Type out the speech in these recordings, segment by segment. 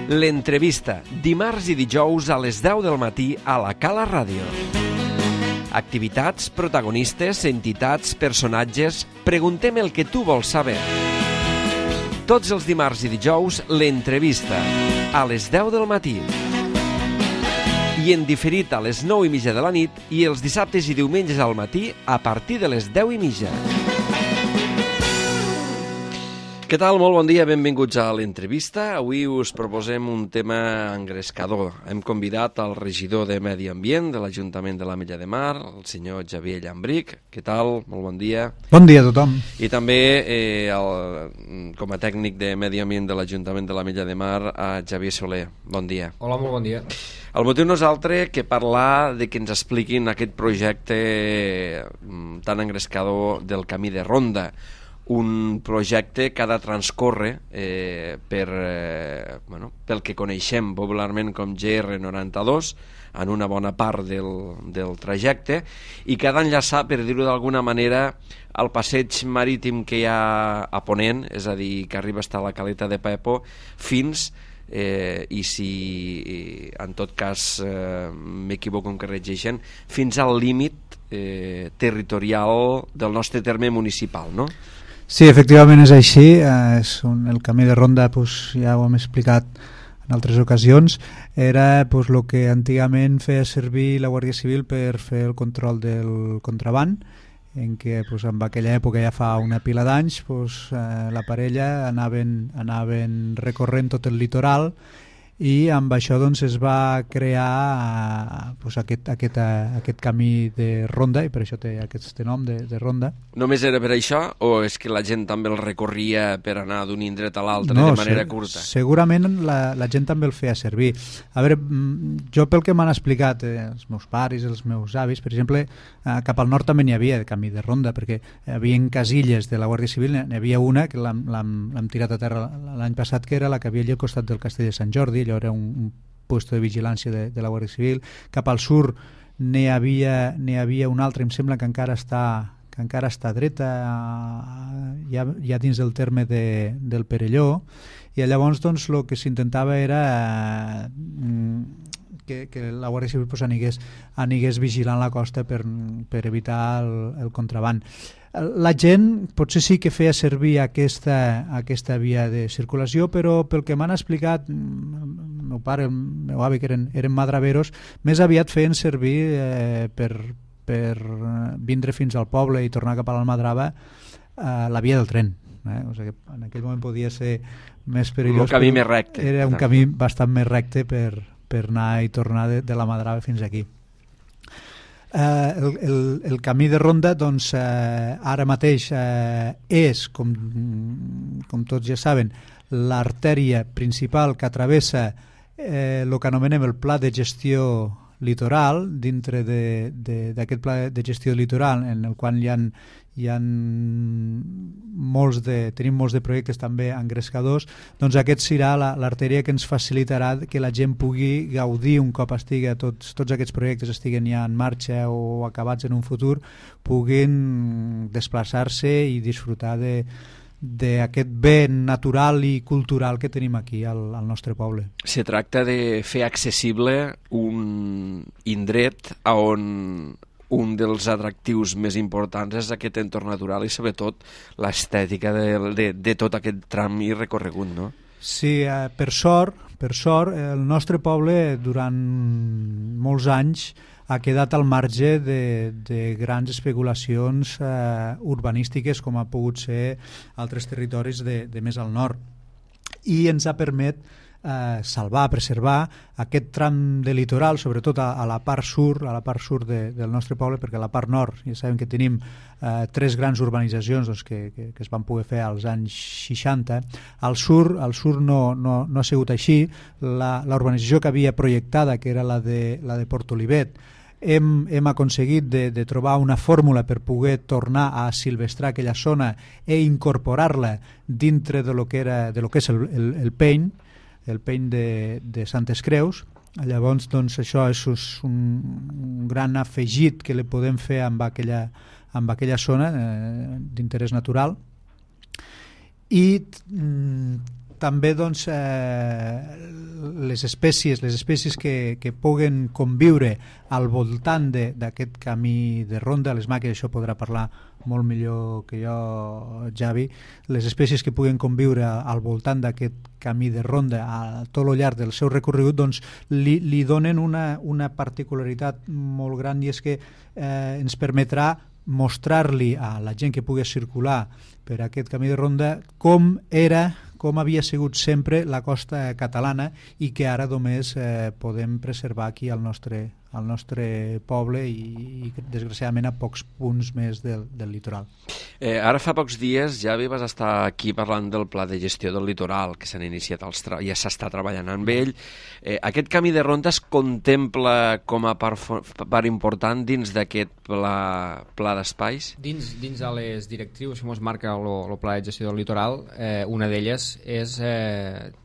L'entrevista, dimarts i dijous a les 10 del matí a la Cala Ràdio. Activitats, protagonistes, entitats, personatges... Preguntem el que tu vols saber. Tots els dimarts i dijous, l'entrevista, a les 10 del matí. I en diferit a les 9:30 de la nit i els dissabtes i diumenges al matí a partir de les 10:30. Què tal? Molt bon dia, benvinguts a l'entrevista. Avui us proposem un tema engrescador. Hem convidat el regidor de Medi Ambient de l'Ajuntament de l'Ametlla de Mar, el senyor Xavier Llambric. Què tal? Molt bon dia. Bon dia a tothom. I també, com a tècnic de Medi Ambient de l'Ajuntament de l'Ametlla de Mar, a Xavier Soler. Bon dia. Hola, molt bon dia. El motiu no és altre que parlar de que ens expliquin aquest projecte tan engrescador del Camí de Ronda, un projecte que ha de transcórrer pel que coneixem popularment com GR92 en una bona part del trajecte i que ha d'enllaçar, per dir-ho d'alguna manera, el passeig marítim que hi ha a Ponent, és a dir, que arriba fins a la Caleta de Pepo, fins i si en tot cas m'equivoco en que regeixen, fins al límit territorial del nostre terme municipal, no? Sí, efectivament és així. El camí de ronda, ja ho hem explicat en altres ocasions, era el que antigament feia servir la Guàrdia Civil per fer el control del contraban, en què en aquella època, ja fa una pila d'anys, la parella anaven recorrent tot el litoral i amb això es va crear aquest camí de ronda, i per això té aquest nom de ronda. Només era per això o és que la gent també el recorria per anar d'un indret a l'altre de manera curta? Segurament la gent també el feia servir. A veure, jo pel que m'han explicat els meus pares, els meus avis, per exemple, cap al nord també n'hi havia camí de ronda, perquè hi havia casilles de la Guàrdia Civil, n'hi havia una que l'hem tirat a terra l'any passat, que era la que havia allà al costat del Castell de Sant Jordi. Allò era un puesto de vigilància de la Guàrdia Civil. Cap al sur n'hi havia una altra, em sembla que encara està dreta, ja dins del terme del Perelló, i llavors el que s'intentava era que la Guàrdia Civil anigués vigilant la costa per evitar el contraban. La gent potser sí que feia servir aquesta via de circulació, però pel que m'han explicat el meu pare, el meu avi, que eren madraveros, més aviat feien servir per vindre fins al poble i tornar cap a l'Almadrava la via del tren. O sigui que en aquell moment podia ser més perillós. Un camí més recte. Era un camí bastant més recte per anar i tornar de la Madrava fins aquí. El camí de ronda ara mateix és, com tots ja saben, l'artèria principal que travessa el que anomenem el Pla de Gestió Litoral. Dintre d'aquest Pla de Gestió Litoral, en el qual tenim molts de projectes també engrescadors, doncs aquest serà l'artèria que ens facilitarà que la gent pugui gaudir, un cop tots aquests projectes estiguen ja en marxa o acabats en un futur, puguin desplaçar-se i disfrutar d'aquest bé natural i cultural que tenim aquí al nostre poble. Se tracta de fer accessible un indret on un dels atractius més importants és aquest entorn natural i sobretot l'estètica de tot aquest tram i recorregut, no? Sí, per sort, el nostre poble durant molts anys ha quedat al marge de grans especulacions urbanístiques com ha pogut ser altres territoris de més al nord, i ens ha permès salvar, preservar aquest tram de litoral, sobretot a la part sur del nostre poble, perquè a la part nord ja sabem que tenim 3 grans urbanitzacions que es van poder fer als anys 60. Al sur no ha sigut així. La urbanització que havia projectada, que era la de Portolivet, hem aconseguit de trobar una fórmula per poder tornar a silvestrar aquella zona e incorporar-la dintre de lo que és el peny de Santes Creus. Llavors, això és un gran afegit que li podem fer amb aquella zona d'interès natural. I també doncs, les espècies que puguen conviure al voltant d'aquest camí de ronda, les màquines, això podrà parlar molt millor que jo, Javi, les espècies que puguen conviure al voltant d'aquest camí de ronda a tot el llarg del seu recorregut, doncs li donen una particularitat molt gran, i és que ens permetrà mostrar-li a la gent que pugui circular per aquest camí de ronda com havia sigut sempre la costa catalana, i que ara només podem preservar aquí al nostre poble i desgraciadament a pocs punts més del litoral. Ara fa pocs dies, Javi, vas estar aquí parlant del pla de gestió del litoral que s'han iniciat, ja s'està treballant amb ell. Aquest camí de ronda es contempla com a part important dins d'aquest pla d'espais? Dins de les directrius que ens marca el pla de gestió del litoral, una d'elles és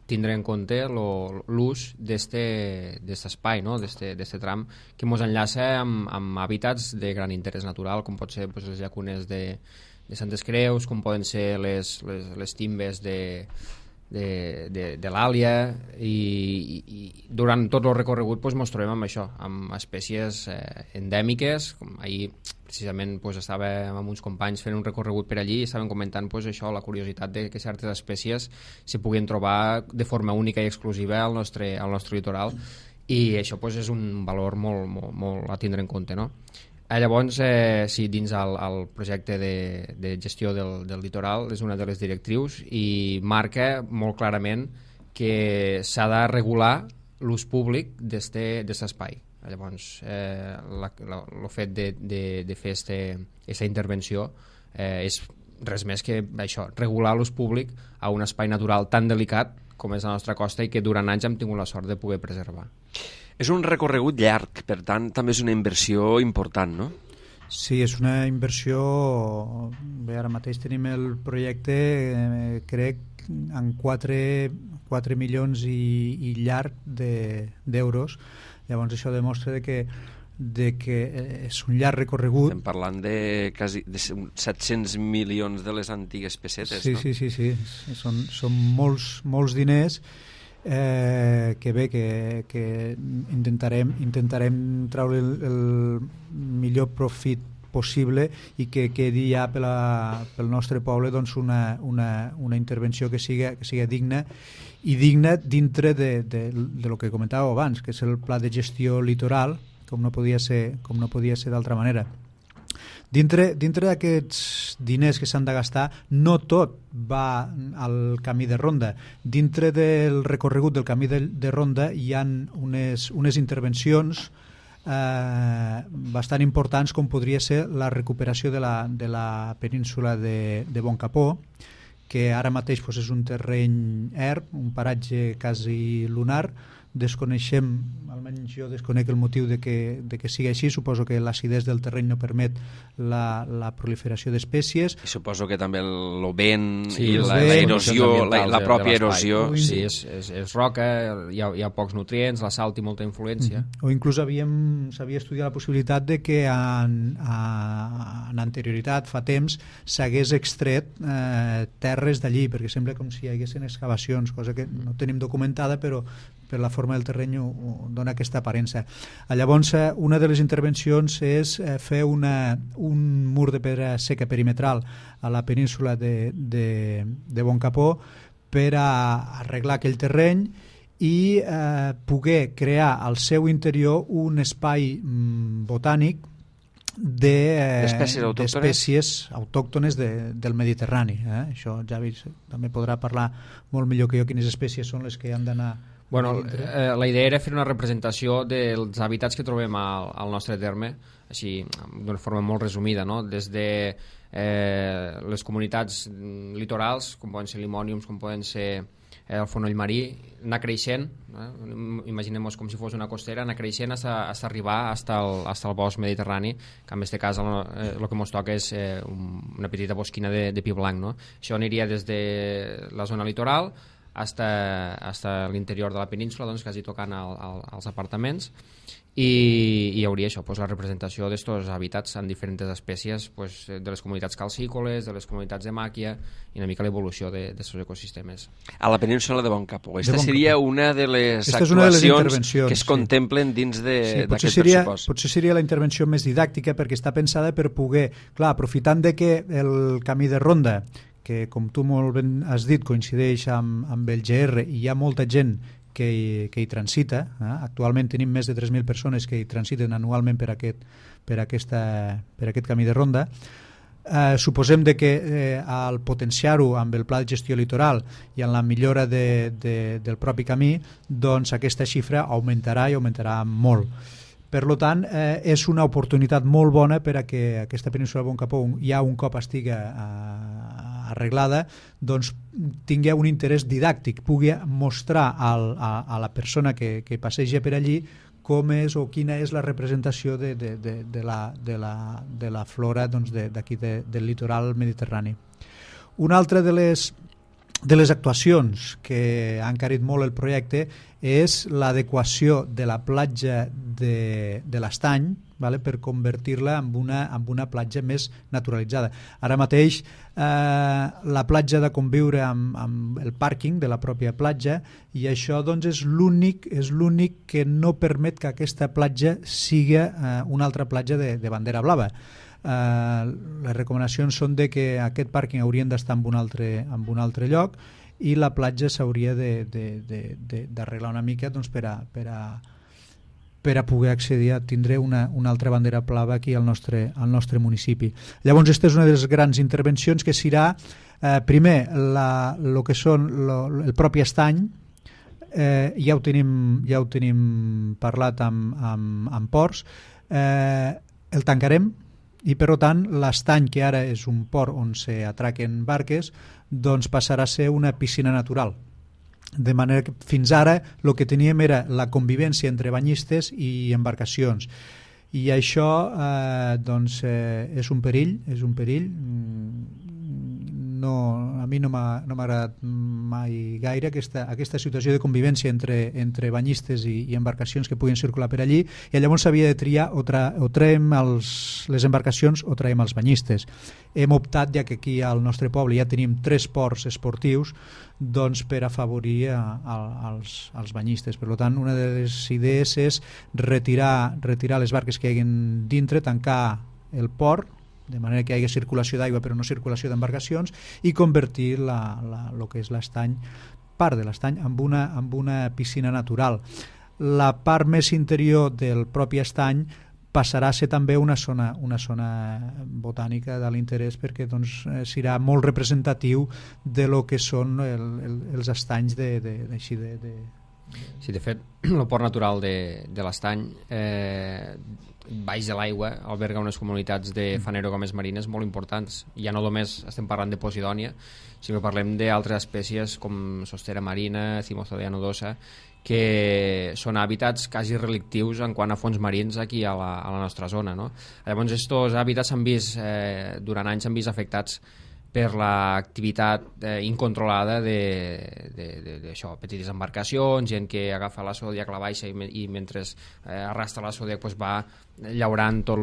tindre en compte l'ús d'aquest espai, no? d'aquest tram, que ens enllaça amb hàbitats de gran interès natural, com pot ser les llacunes de Santes Creus, com poden ser les timbes de l'Àlia, i durant tot el recorregut ens trobem amb això, amb espècies endèmiques. Com ahir precisament estàvem amb uns companys fent un recorregut per allí i estàvem comentant això, la curiositat de que certes espècies se puguin trobar de forma única i exclusiva al nostre litoral, i això és un valor molt a tindre en compte, no? Llavors, sí, dins el projecte de gestió del litoral és una de les directrius, i marca molt clarament que s'ha de regular l'ús públic d'aquest espai. Llavors, el fet de fer aquesta intervenció és res més que això, regular l'ús públic a un espai natural tan delicat com és la nostra costa, i que durant anys hem tingut la sort de poder preservar. És un recorregut llarg, per tant, també és una inversió important, no? Sí, és una inversió. Bé, ara mateix tenim el projecte, crec, en 4 milions i llarg d'euros. Llavors això demostra que és un llarg recorregut. Estem parlant de quasi 700 milions de les antigues pessetes, sí, no? Sí. Són molts diners, que bé, que intentarem treure el millor profit possible, i que quedi ja pel nostre poble doncs una intervenció que siga digna, i digna dintre de lo que comentàveu abans, que és el pla de gestió litoral, com no podia ser d'altra manera. Dintre d'aquests diners que s'han de gastar, no tot va al camí de ronda. Dintre del recorregut del camí de ronda hi ha unes intervencions bastant importants, com podria ser la recuperació de la península de Boncapó, que ara mateix és un terreny erm, un paratge quasi lunar. Desconeixem, almenys jo desconec el motiu de que sigui així. Suposo que l'acidesa del terreny no permet la proliferació d'espècies. I suposo que també el vent, sí, i l'erosió, la pròpia erosió. Sí, és roca, hi ha pocs nutrients, la sal té molta influència. O inclús s'havia estudiat la possibilitat de que en anterioritat, fa temps, s'hagués extret terres d'allí, perquè sembla com si hi haguessin excavacions, cosa que no tenim documentada, però per la forma del terreny dona aquesta aparença. Llavors, una de les intervencions és fer un mur de pedra seca perimetral a la península de Boncapó per arreglar aquell terreny i poder crear al seu interior un espai botànic d'espècies autòctones del Mediterrani. Això Javi també podrà parlar molt millor que jo quines espècies són les que han d'anar. Bueno, la idea era fer una representació dels hàbitats que trobem al nostre terme, així d'una forma molt resumida, no? Des de les comunitats litorals, com poden ser limòniums, com poden ser el fonoll marí, anar creixent, imaginem-nos com si fos una costera, anar creixent fins arribar fins al bosc mediterrani, que en aquest cas el que ens toca és una petita bosquina de pi blanc, no? Això aniria des de la zona litoral hasta l'interior de la península, doncs, quasi tocant als apartaments, i hi hauria això, pues, la representació d'estos hàbitats en diferents espècies, pues, de les comunitats calcícoles, de les comunitats de màquia, i una mica l'evolució d'aquests ecosistemes. A la península de Boncapó. Esta seria una de les actuacions que es contemplen dins d'aquest pressupost. Potser seria la intervenció més didàctica, perquè està pensada per poder, clar, aprofitant de que el camí de ronda, que com tu molt ben has dit coincideix amb el GR i hi ha molta gent que hi transita, actualment tenim més de 3.000 persones que hi transiten anualment per aquest camí de ronda. Suposem de que al potenciar-ho amb el pla de gestió litoral i en la millora del propi camí, doncs aquesta xifra augmentarà i augmentarà molt. Per tant, és una oportunitat molt bona per a que aquesta península de Boncapó, ja un cop estigui arreglada, doncs tingui un interès didàctic, pugui mostrar a la persona que passeja per allí com és o quina és la representació de la flora d'aquí del litoral mediterrani. Una altra de les actuacions que ha encarit molt el projecte és l'adequació de la platja de l'Estany, per convertir-la en una platja més naturalitzada. Ara mateix la platja ha de conviure amb el pàrquing de la pròpia platja, i això doncs, és l'únic que no permet que aquesta platja sigui una altra platja de bandera blava. Les recomanacions són de que aquest pàrquing haurien d'estar en un altre lloc, i la platja s'hauria d'arreglar una mica per a poder accedir a tindre una altra bandera blava aquí al nostre municipi. Llavors, aquesta és una de les grans intervencions, que serà primer el que són el propi estany. Ja ho tenim parlat amb ports. El tancarem, i per tant l'estany, que ara és un port on s'atraquen barques, doncs passarà a ser una piscina natural. De manera que fins ara el que teníem era la convivència entre banyistes i embarcacions, i això doncs és un perill. A mi no m'ha agradat mai gaire aquesta situació de convivència entre banyistes i embarcacions que puguin circular per allí, i llavors s'havia de triar o traiem les embarcacions o traiem els banyistes. Hem optat, ja que aquí al nostre poble ja tenim 3 ports esportius, doncs per afavorir als banyistes. Per tant, una de les idees és retirar les barques que hi hagin dintre, tancar el port, de manera que hi hagi circulació d'aigua però no circulació d'embarcacions, i convertir el que és l'estany, part de l'estany, en una piscina natural. La part més interior del propi estany passarà a ser també una zona botànica de l'interès, perquè doncs, serà molt representatiu de lo que són els estanys així de... Sí, de fet, el port natural de l'estany baix de l'aigua alberga unes comunitats de fanerogomes marines molt importants. Ja no només estem parlant de Posidònia, sinó que parlem d'altres espècies com sostera marina, Cimostodea nodosa, que són hàbitats quasi relictius en quant a fons marins aquí a la nostra zona, no? Llavors, aquests hàbitats durant anys s'han vist afectats per l'activitat incontrolada d'això, petites embarcacions, gent que agafa la zodiac, la baixa i mentre arrastra la zodiac pues va llaurant tot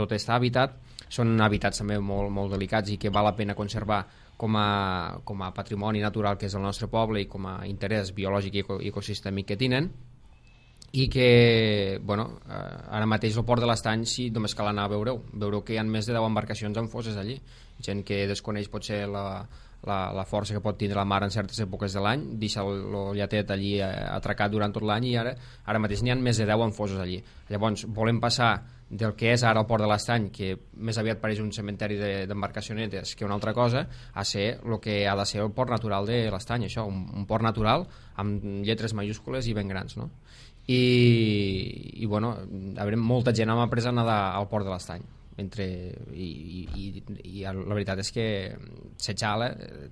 aquest hàbitat. Són hàbitats també molt, molt delicats i que val la pena conservar com a patrimoni natural que és el nostre poble i com a interès biològic i ecosistèmic que tenen, i que ara mateix el port de l'Estany, sí, només cal anar a veureu que hi ha més de 10 embarcacions en fosses allí, gent que desconeix potser la força que pot tindre la mar en certes èpoques de l'any, deixa el llatet allí atracat durant tot l'any, i ara mateix n'hi ha més de 10 en fosses allí. Llavors volem passar del que és ara el port de l'Estany, que més aviat pareix un cementeri d'embarcacionetes que una altra cosa, a ser el que ha de ser el port natural de l'Estany, això, un port natural amb lletres majúscules i ben grans, no? I molta gent m'ha pres a nedar al port de l'Estany, i la veritat és que s'exhala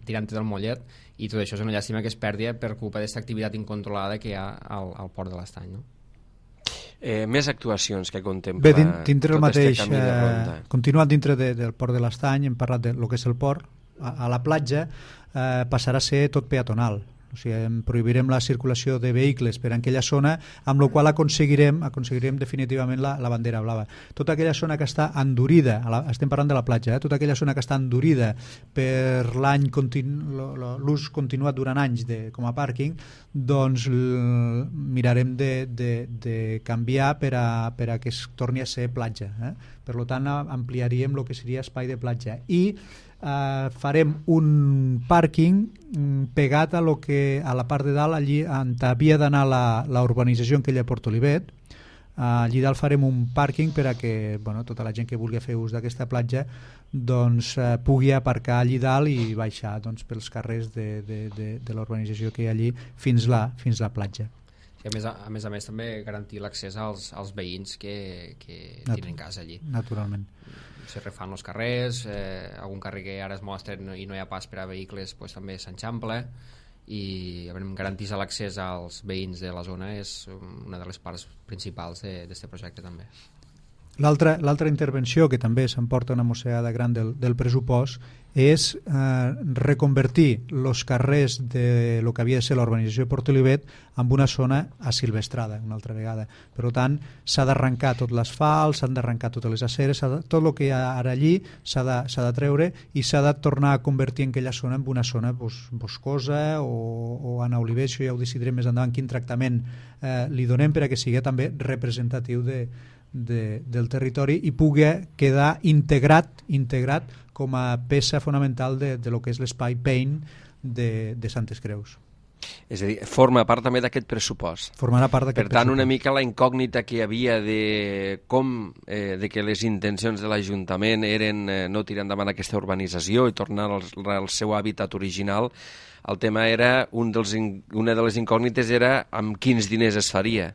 tirant-te del mollet, i tot això és una llàstima que es perdi per culpa d'aquesta activitat incontrolada que hi ha al port de l'Estany, no? Més actuacions que contempla dintre el mateix, camí de ronda. Continuant dintre del port de l'Estany, hem parlat del que és el port, a la platja passarà a ser tot peatonal. O sigui, prohibirem la circulació de vehicles per aquella zona, amb la qual aconseguirem definitivament la bandera blava. Tota aquella zona que està endurida, estem parlant de la platja, tota aquella zona que està endurida per l'ús continuat durant anys com a pàrquing, doncs mirarem de canviar per a que es torni a ser platja. Per tant, ampliaríem el que seria espai de platja. I farem un pàrquing pegat a la part de dalt, allí on havia d'anar la urbanització en aquella Port Olivet. Allí dalt farem un pàrquing per a que tota la gent que vulgui fer ús d'aquesta platja doncs, pugui aparcar allí dalt i baixar pels carrers de la urbanització que hi ha allí fins la platja. I a més també garantir l'accés als veïns que tenen casa allí. Naturalment. Se refan els carrers, algun carrer que ara és molt estret i no hi ha pas per a vehicles també s'enxample, i garantir l'accés als veïns de la zona és una de les parts principals d'aquest projecte també. L'altra intervenció, que també s'emporta una mossegada gran del pressupost, és reconvertir els carrers de lo que havia de ser la urbanització de Port Olivet en una zona asilvestrada, una altra vegada. Per tant, s'ha d'arrencar tot l'asfalt, s'han d'arrencar totes les aceres, tot el que hi ha ara allí s'ha de treure i s'ha de tornar a convertir en aquella zona en una zona boscosa o en oliver. Això ja ho decidirem més endavant quin tractament li donem per a que sigui també representatiu del territori i pugui quedar integrat com a peça fonamental de lo que és l'espai Paint de Santes Creus. És a dir, forma part també d'aquest pressupost. Formarà part d'aquest pressupost. Per tant, una mica la incògnita que hi havia de que les intencions de l'Ajuntament eren no tirar endavant aquesta urbanització i tornar al seu hàbitat original, el tema era, una de les incògnites era amb quins diners es faria.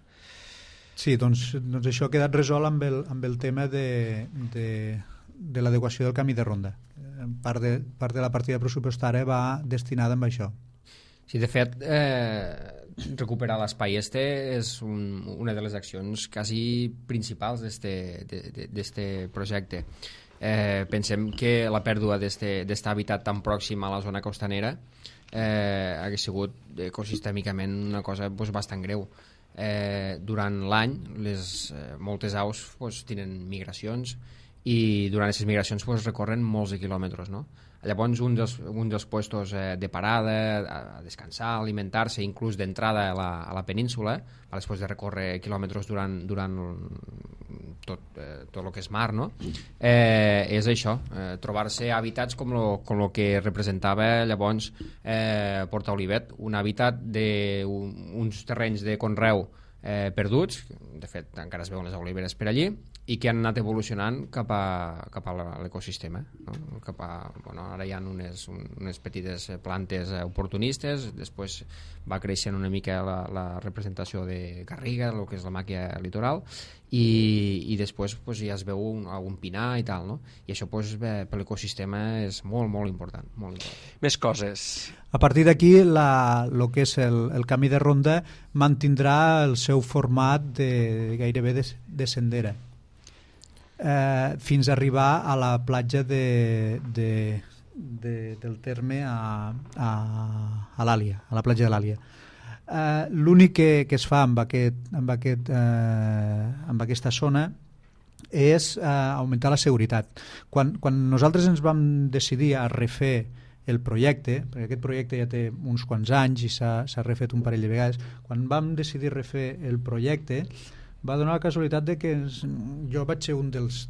Sí, doncs això ha quedat resolt amb el tema de l'adequació del camí de ronda. Part de la partida pressupostària va destinada a això. Sí, de fet, recuperar l'espai és una de les accions quasi principals d'este projecte. Pensem que la pèrdua d'este hàbitat tan pròxim a la zona costanera hagués sigut ecosistèmicament una cosa bastant greu. Durant l'any moltes aus tenen migracions i durant aquestes migracions recorren molts de quilòmetres, no? Llavors un dels puestos de parada, a descansar, a alimentar-se, inclús d'entrada a la península, després de recórrer quilòmetres durant tot el que és mar, no? És això, trobar-se hàbitats com el que representava llavors Port Olivet, un hàbitat d'uns terrenys de conreu perduts, de fet encara es veuen les oliveres per allí, i que han anat evolucionant cap a l'ecosistema, no? Ara hi ha unes petites plantes oportunistes, després va creixent una mica la representació de garriga, el que és la màquia litoral, i després ja es veu algun pinar i tal, no? I això per l'ecosistema és molt, molt important, molt important. Més coses. A partir d'aquí, el que és el camí de ronda mantindrà el seu format gairebé de sendera, fins a arribar a la platja del terme a l'Àlia, a la platja de l'Àlia. L'únic que es fa amb aquesta zona és augmentar la seguretat. Quan nosaltres ens vam decidir a refer el projecte, perquè aquest projecte ja té uns quants anys i s'ha refet un parell de vegades, quan vam decidir refer el projecte va donar la casualitat de que jo vaig ser un dels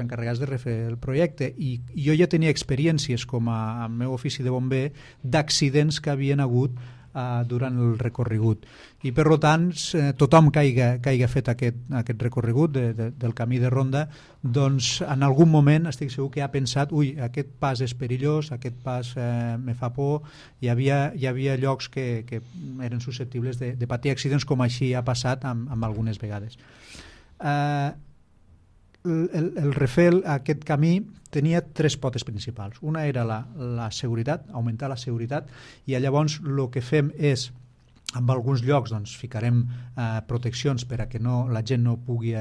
encarregats de refer el projecte i jo ja tenia experiències com a meu ofici de bomber d'accidents que havien hagut durant el recorregut i per tant tothom que hagi fet aquest recorregut del camí de ronda, doncs en algun moment estic segur que ha pensat aquest pas és perillós, aquest pas me fa por. Hi havia llocs que eren susceptibles de patir accidents, com així ha passat amb algunes vegades. El refer aquest camí tenia tres potes principals. Una era la seguretat, augmentar la seguretat, i llavors el que fem és, en alguns llocs ficarem proteccions per a que la gent no pugui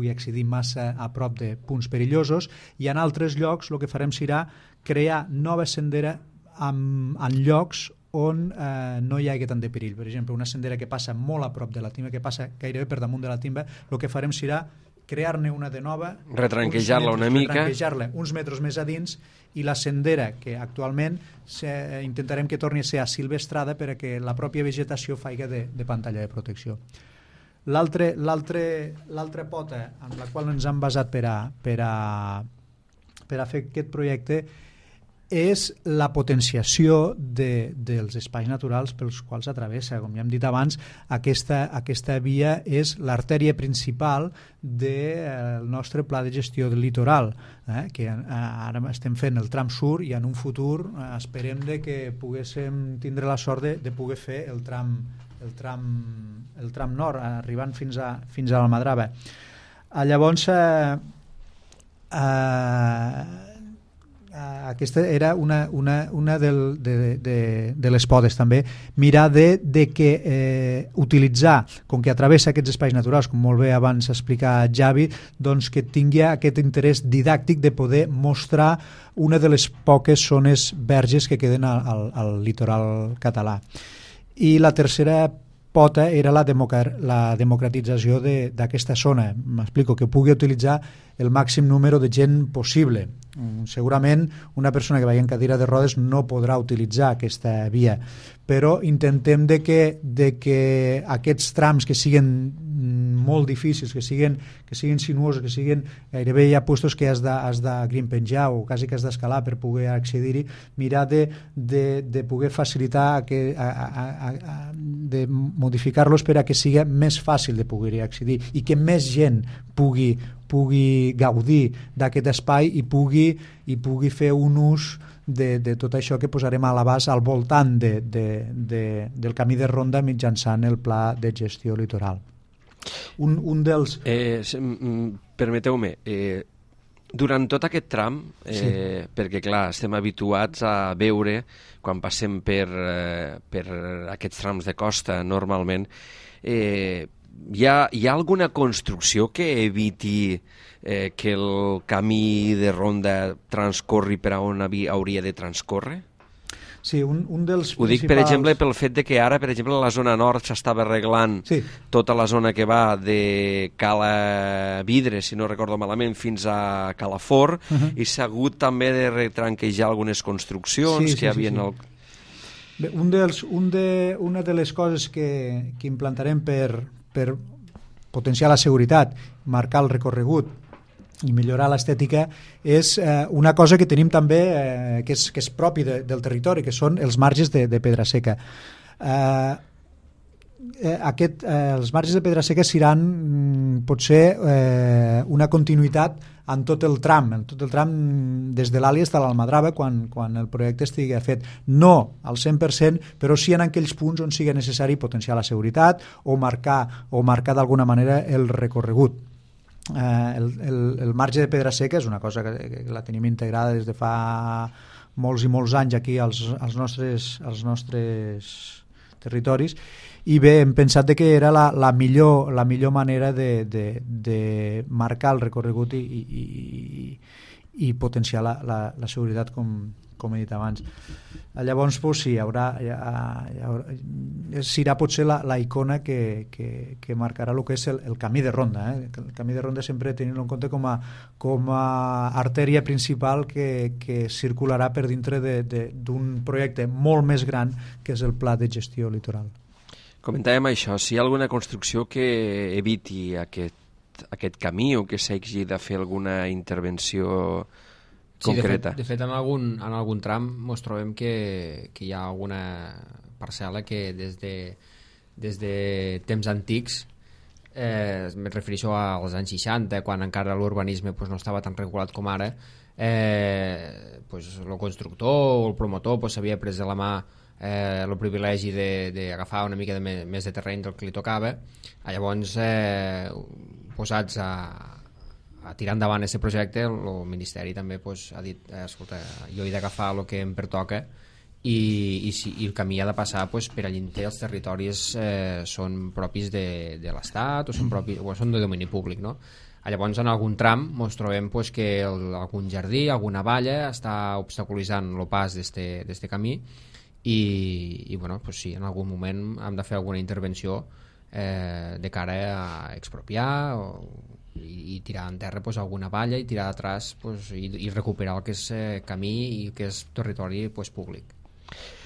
accedir massa a prop de punts perillosos, i en altres llocs el que farem serà crear nova sendera en llocs on no hi hagi tant de perill. Per exemple, una sendera que passa molt a prop de la timba, que passa gairebé per damunt de la timba, el que farem serà crear-ne una de nova, retranquejar-la una mica, retranquejar-la uns metres més a dins, i la sendera que actualment intentarem que torni a ser asilvestrada perquè la pròpia vegetació faiga de pantalla de protecció. L'altra pota en la qual ens hem basat per a fer aquest projecte és la potenciació dels espais naturals pels quals atravessa. Com ja hem dit abans, aquesta via és l'artèria principal del nostre pla de gestió del litoral, que ara estem fent el tram sud i en un futur esperem que poguéssim tindre la sort de poder fer el tram nord, arribant fins a l'Almadrava. Llavors, aquesta era una de les potes també, mirar de que utilitzar, com que travessa aquests espais naturals, com molt bé abans explicat Javi, doncs que tingui aquest interès didàctic de poder mostrar una de les poques zones verges que queden al litoral català. I la tercera pota era la democratització d'aquesta zona. M'explico, que pugui utilitzar el màxim número de gent possible. Segurament una persona que vagi en cadira de rodes no podrà utilitzar aquesta via, però intentem de que aquests trams que siguin molt difícils, que siguin sinuosos, que siguin gairebé hi ha puestos que has de grimpenjar o quasi que has d'escalar per poder accedir-hi, mirar de poder facilitar de modificar-los per a que sigui més fàcil de poder-hi accedir i que més gent pugui gaudir d'aquest espai i pugui fer un ús de tot això que posarem a l'abast al voltant del camí de ronda mitjançant el pla de gestió litoral. Un dels... Permeteu-me, durant tot aquest tram, perquè clar, estem habituats a veure, quan passem per aquests trams de costa normalment, hi ha alguna construcció que eviti que el camí de ronda transcorri per on hauria de transcórrer? Sí, un dels Ho dic, per exemple, pel fet de que ara, per exemple, a la zona nord s'estava arreglant tota la zona que va de Cala Vidre, si no recordo malament, fins a Calafort, i s'ha hagut també de retranquejar algunes construccions que hi havia... Bé, una de les coses que implantarem per potenciar la seguretat, marcar el recorregut i millorar l'estètica és una cosa que tenim també que és propi del territori, que són els marges de pedra seca. Els marges de pedra seca seran potser una continuïtat en tot el tram des de l'Àlia fins a l'Almadrava quan el projecte estigui fet. No al 100%, però sí en aquells punts on sigui necessari potenciar la seguretat o marcar d'alguna manera el recorregut. El marge de pedra seca és una cosa que la tenim integrada des de fa molts i molts anys aquí als nostres territoris, i bé, hem pensat que era la millor manera de marcar el recorregut i potenciar la seguretat, com he dit abans. Llavors, sí, serà potser la icona que marcarà el que és el camí de ronda. El camí de ronda sempre tenint en compte com a artèria principal que circularà per dintre d'un projecte molt més gran que és el Pla de Gestió Litoral. Comentàvem això, si hi ha alguna construcció que eviti aquest camí o que s'hagi de fer alguna intervenció concreta. De fet, en algun tram ens trobem que hi ha alguna parcel·la que des de temps antics, me refereixo als anys 60, quan encara l'urbanisme no estava tan regulat com ara, el constructor o el promotor s'havia pres de la mà el privilegi d'agafar una mica més de terreny del que li tocava. Llavors, posats a tirar endavant aquest projecte, el Ministeri també ha dit, escolta, jo he d'agafar el que em pertoca i el camí ha de passar per allí els territoris són propis de l'Estat o són de domini públic, no? Llavors, en algun tram ens trobem pues, que algun jardí, alguna valla està obstaculitzant el pas d'este camí i bueno, pues sí, en algun moment hem de fer alguna intervenció de cara a expropiar i tirar en terra pues, alguna valla i tirar d'atrás pues, i recuperar el que és camí i que és territori pues, públic.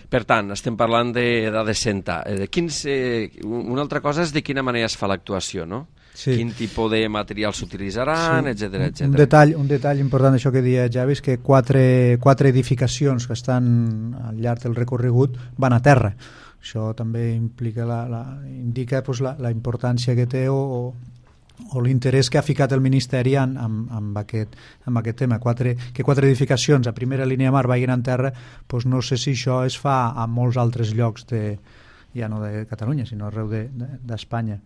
Per tant, estem parlant de Senta. Una altra cosa és de quina manera es fa l'actuació, no? Sí. Quin tipus de materials s'utilitzaran, sí. etc. Un detall important d'això que deia Javi és que quatre edificacions que estan al llarg del recorregut van a terra. Això també implica indica pues, la importància que té o l'interès que ha ficat el Ministeri amb aquest tema. Que quatre edificacions a primera línia de mar vagin en terra, doncs no sé si això es fa a molts altres llocs ja no de Catalunya, sinó arreu d'Espanya.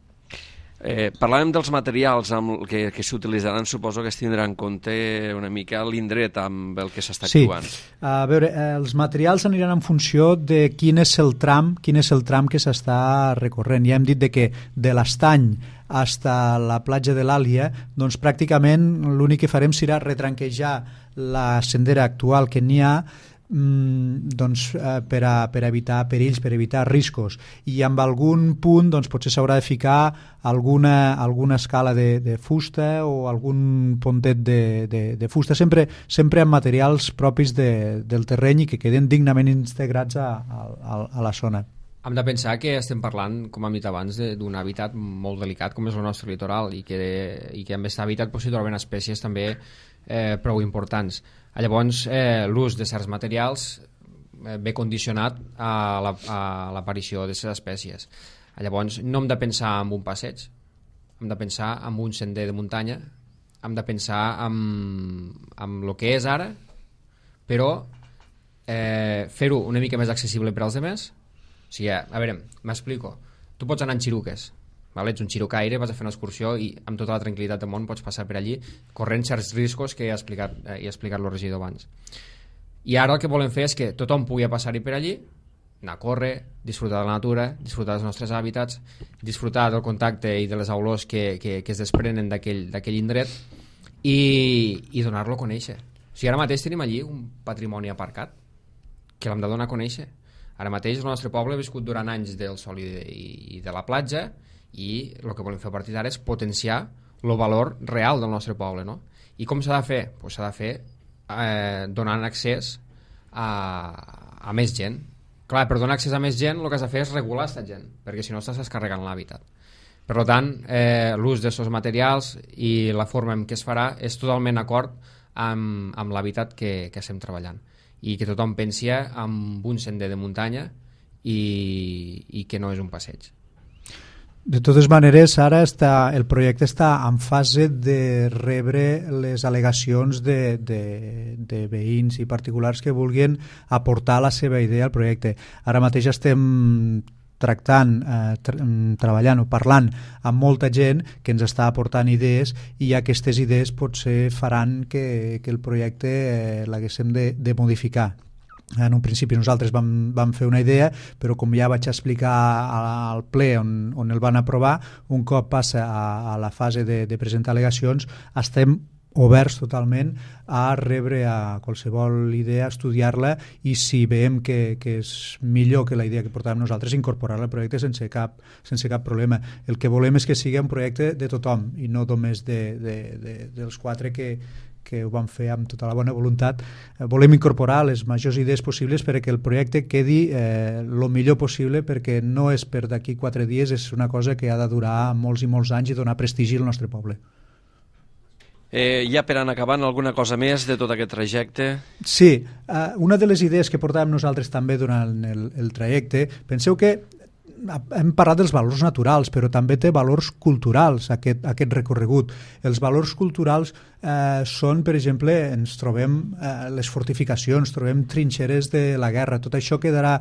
Parlàvem dels materials que s'utilitzaran, suposo que es tindrà en compte una mica l'indret amb el que s'està actuant. Sí, a veure, els materials aniran en funció de quin és el tram que s'està recorrent. Ja hem dit que de l'Estany fins a la platja de l'Àlia, doncs pràcticament l'únic que farem serà retranquejar la sendera actual que n'hi ha doncs, per evitar perills, per evitar riscos, i amb algun punt doncs, potser s'haurà de ficar alguna escala de fusta o algun pontet de fusta, sempre amb materials propis del terreny i que queden dignament integrats a la zona. Hem de pensar que estem parlant, com hem dit abans, d'un hàbitat molt delicat com és el nostre litoral i que amb aquest hàbitat s'hi troben espècies també prou importants. Llavors, l'ús de certs materials ve condicionat a l'aparició d'aquestes espècies. Llavors, no hem de pensar en un passeig, hem de pensar en un sender de muntanya, hem de pensar en el que és ara, però fer-ho una mica més accessible per als altres. O sigui, a veure, m'explico. Tu pots anar en xiruques, ets un xirucaire, vas a fer una excursió i amb tota la tranquil·litat del món pots passar per allí corrent certs riscos que ja ha explicat el regidor abans. I ara el que volem fer és que tothom pugui passar-hi per allí, anar a córrer, disfrutar de la natura, disfrutar dels nostres hàbitats, disfrutar del contacte i de les olors que es desprenen d'aquell indret i donar-lo a conèixer. O sigui, ara mateix tenim allí un patrimoni aparcat que l'hem de donar a conèixer. Ara mateix el nostre poble ha viscut durant anys del sol i de la platja i el que volem fer a partir d'ara és potenciar el valor real del nostre poble, no? I com s'ha de fer? Pues s'ha de fer donant accés a més gent. Clar, per donar accés a més gent el que has de fer és regular aquesta gent, perquè si no estàs descarregant l'hàbitat. Per tant, l'ús d'aquests materials i la forma en què es farà és totalment d'acord amb l'hàbitat que estem treballant i que tothom pensi en un sender de muntanya i que no és un passeig. De totes maneres, ara el projecte està en fase de rebre les al·legacions de veïns i particulars que vulguin aportar la seva idea al projecte. Ara mateix estem treballant o parlant amb molta gent que ens està aportant idees i aquestes idees potser faran que el projecte l'haguéssim de modificar. En un principi nosaltres vam fer una idea, però com ja vaig explicar al ple on el van aprovar, un cop passa a la fase de presentar al·legacions, estem oberts totalment a rebre a qualsevol idea, estudiar-la i si veiem que és millor que la idea que portàvem nosaltres, incorporar-la al projecte sense cap problema. El que volem és que sigui un projecte de tothom i no només dels quatre que ho vam fer amb tota la bona voluntat. Volem incorporar les majors idees possibles perquè el projecte quedi el millor possible, perquè no és per d'aquí 4 dies, és una cosa que ha de durar molts i molts anys i donar prestigi al nostre poble. Ja per anar acabant, alguna cosa més de tot aquest trajecte? Sí, una de les idees que portàvem nosaltres també durant el trajecte, penseu que hem parlat dels valors naturals, però també té valors culturals aquest recorregut. Els valors culturals són, per exemple, ens trobem les fortificacions, trobem trinxeres de la guerra, tot això quedarà,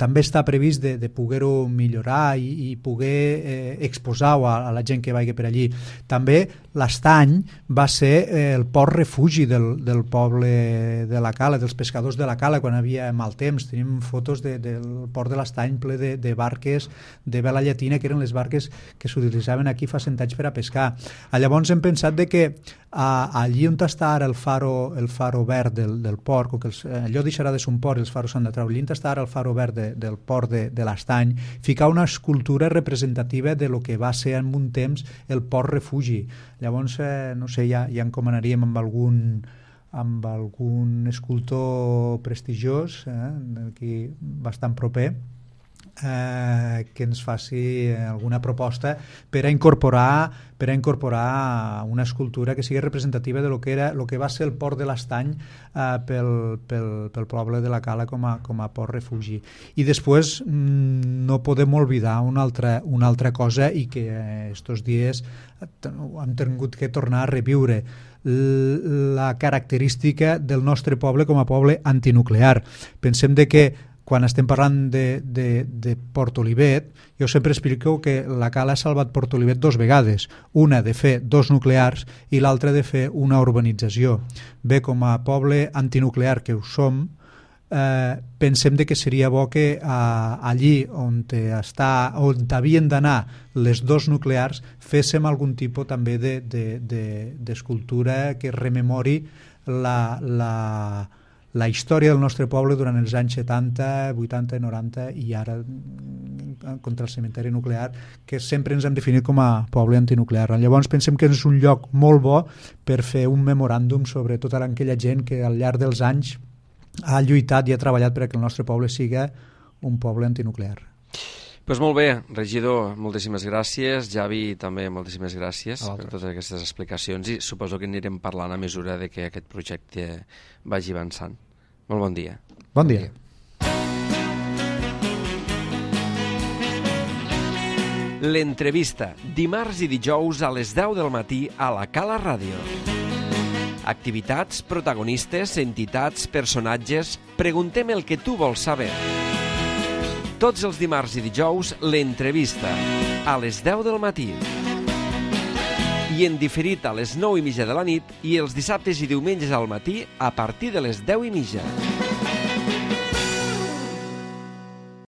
també està previst de poder-ho millorar i poder exposar-ho a la gent que vagi per allí. També l'Estany va ser el port refugi del poble de la Cala, dels pescadors de la Cala, quan havia mal temps. Tenim fotos del port de l'Estany ple de barques barques de vela llatina, que eren les barques que s'utilitzaven aquí fa 100 anys per a pescar. Llavors hem pensat de que allí on està ara el faro verd del port, que allò deixarà de ser un port i els faros s'han de treure, allí on està ara el faro verd del port de l'Estany, ficar una escultura representativa de lo que va ser en un temps el port refugi. Llavors, no sé, ja encomanaríem amb algun escultor prestigiós, aquí bastant proper, que ens faci alguna proposta per a incorporar una escultura que sigui representativa de lo que va ser el port de l'Estany pel poble de la Cala com a port refugi. I després no podem oblidar una altra cosa, i que estos dies hem tingut que tornar a reviure, la característica del nostre poble com a poble antinuclear. Pensem de que quan estem parlant de Port Olivet, jo sempre explico que la Cala ha salvat Port Olivet 2 vegades, una de fer 2 nuclears i l'altra de fer una urbanització. Bé, com a poble antinuclear que ho som, pensem de que seria bo que allí on havien d'anar les 2 nuclears féssim algun tipus també d'escultura que rememori la història del nostre poble durant els anys 70, 80, 90 i ara contra el cementeri nuclear, que sempre ens hem definit com a poble antinuclear. Llavors pensem que és un lloc molt bo per fer un memoràndum sobre tota aquella gent que al llarg dels anys ha lluitat i ha treballat perquè el nostre poble siga un poble antinuclear. Pues molt bé, regidor, moltíssimes gràcies. Javi, també moltíssimes gràcies per totes aquestes explicacions, i suposo que anirem parlant a mesura de que aquest projecte vagi avançant. Molt bon dia. Bon dia. L'entrevista, dimarts i dijous a les 10 del matí a la Cala Ràdio. Activitats, protagonistes, entitats, personatges... Preguntem el que tu vols saber. Tots els dimarts i dijous, l'entrevista, a les 10 del matí. I en diferit a les 9:30 de la nit, i els dissabtes i diumenges al matí a partir de les 10:30.